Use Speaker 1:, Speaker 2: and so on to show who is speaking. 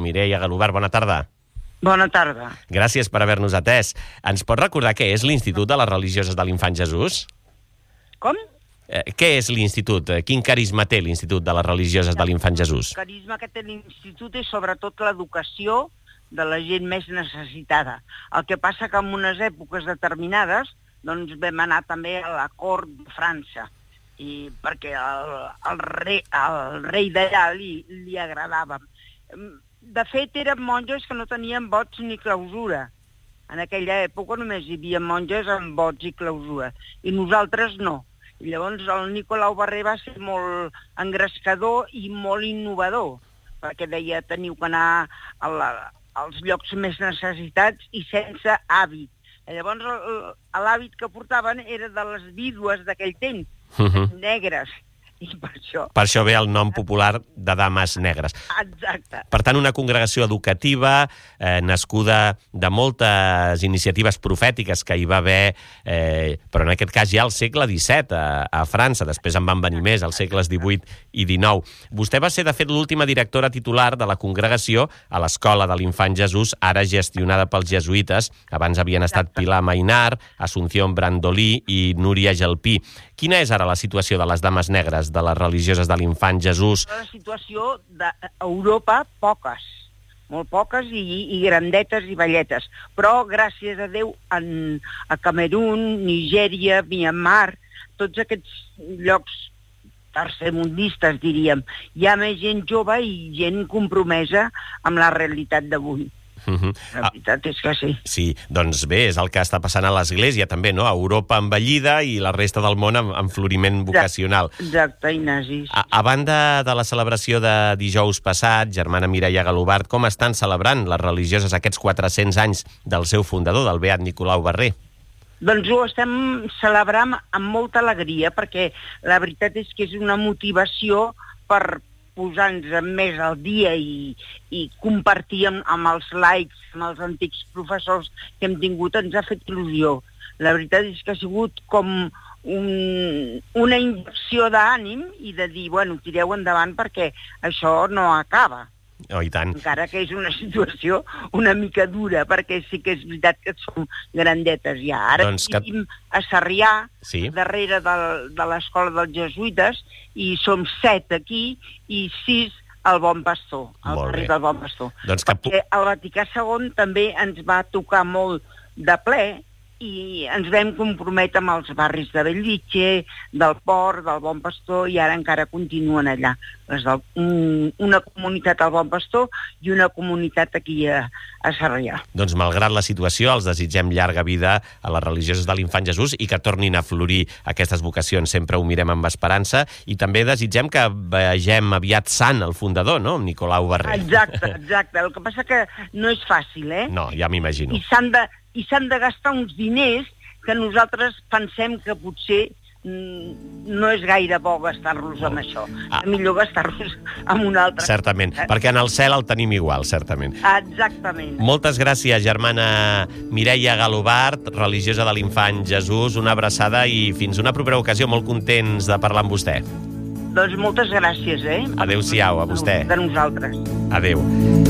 Speaker 1: Mireia Galobart, bona tarda.
Speaker 2: Bona tarda.
Speaker 1: Gràcies per haver-nos atès. Ens pot recordar què és l'Institut de les Religioses de l'Infant Jesús?
Speaker 2: Com?
Speaker 1: Què és l'Institut? Quin carisma té l'Institut de les Religioses de l'Infant Jesús?
Speaker 2: El carisma que té l'Institut és sobretot l'educació de la gent més necessitada. El que passa que en unes èpoques determinades doncs vam anar també a la cort de França, i perquè el rei d'allà li agradava. De fet, eren monges que no tenien vots ni clausura. En aquella època només hi havia monges amb vots i clausura, i nosaltres no. I llavors el Nicolau Barrer va ser molt engrescador i molt innovador, perquè deia teniu que anar als llocs més necessitats i sense hàbit. Llavors l'hàbit que portaven era de les vídues d'aquell temps, negres, i per això...
Speaker 1: Per això ve el nom popular de Dames Negres.
Speaker 2: Exacte.
Speaker 1: Per tant, una congregació educativa, nascuda de moltes iniciatives profètiques que hi va haver, però en aquest cas ja al segle XVII, a França. Després en van venir més, als segles XVIII i XIX. Vostè va ser, de fet, l'última directora titular de la congregació a l'Escola de l'Infant Jesús, ara gestionada pels jesuïtes. Abans havien estat Pilar Mainar, Asunción Brandolí i Núria Gelpí. Quina és ara la situació de les Dames Negres, de les religioses de l'Infant Jesús?
Speaker 2: La situació d'Europa, poques, molt poques i grandetes i velletes. Però, gràcies a Déu, a Camerún, Nigèria, Myanmar, tots aquests llocs tercermundistes, diríem, hi ha més gent jove i gent compromesa amb la realitat d'avui. La veritat és que sí.
Speaker 1: Sí, doncs bé, és el que està passant a l'Església també, no? Europa envellida i la resta del món en floriment vocacional.
Speaker 2: Exacte, Ignasi.
Speaker 1: A banda de la celebració de dijous passat, germana Mireia Galobart, com estan celebrant les religioses aquests 400 anys del seu fundador, del beat Nicolau Barrer?
Speaker 2: Doncs ho estem celebrant amb molta alegria, perquè la veritat és que és una motivació per posar-nos més al dia i compartir amb els laics, amb els antics professors que hem tingut, ens ha fet il·lusió. La veritat és que ha sigut com una injecció d'ànim i de dir, bueno, tireu endavant perquè això no acaba.
Speaker 1: Oh, i tant.
Speaker 2: Encara que és una situació una mica dura, perquè sí que és veritat que som grandetes ja. Ara vivim a Sarrià, darrere de l'escola dels jesuïtes, i som 7 aquí i 6 al Bon Pastor, al barri del Bon Pastor. Perquè el Vaticà II també ens va tocar molt de ple i ens vam comprometre amb els barris de Bellvitge, del Port, del Bon Pastor, i ara encara continuen allà. Una comunitat al Bon Pastor i una comunitat aquí a Sarrià.
Speaker 1: Doncs malgrat la situació, els desitgem llarga vida a les religioses de l'Infant Jesús i que tornin a florir aquestes vocacions. Sempre ho mirem amb esperança i també desitgem que vegem aviat sant el fundador, no?, Nicolau Barrer.
Speaker 2: Exacte. El que passa que no és fàcil, eh?
Speaker 1: No, ja m'imagino.
Speaker 2: I s'han de gastar uns diners que nosaltres pensem que potser no és gaire bo gastar-los amb això. És millor gastar-los amb un altre.
Speaker 1: Certament, perquè en el cel el tenim igual, certament.
Speaker 2: Exactament.
Speaker 1: Moltes gràcies, germana Mireia Galobart, religiosa de l'Infant Jesús. Una abraçada i fins una propera ocasió. Molt contents de parlar amb vostè.
Speaker 2: Doncs moltes gràcies, eh?
Speaker 1: Adéu-siau, a vostè.
Speaker 2: De nosaltres.
Speaker 1: Adéu.